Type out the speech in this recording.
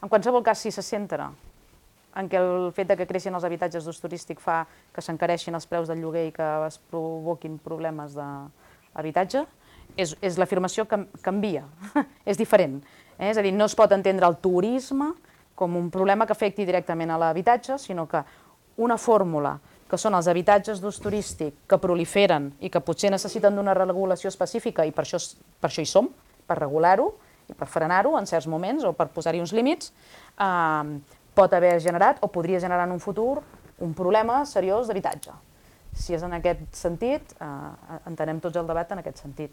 En qualsevol cas, si se centra en què el fet que creixin els habitatges d'ús turístic fa que s'encareixin els preus del lloguer i que es provoquin problemes d'habitatge, és l'afirmació que canvia, és diferent. És a dir, no es pot entendre el turisme com un problema que afecti directament a l'habitatge, sinó que una fórmula, que són els habitatges d'ús turístic que proliferen i que potser necessiten d'una regulació específica, i per això hi som, per regular-ho i per frenar-ho en certs moments o per posar-hi uns límits, pot haver generat o podria generar en un futur un problema seriós d'habitatge. Si és en aquest sentit, entenem tots el debat en aquest sentit.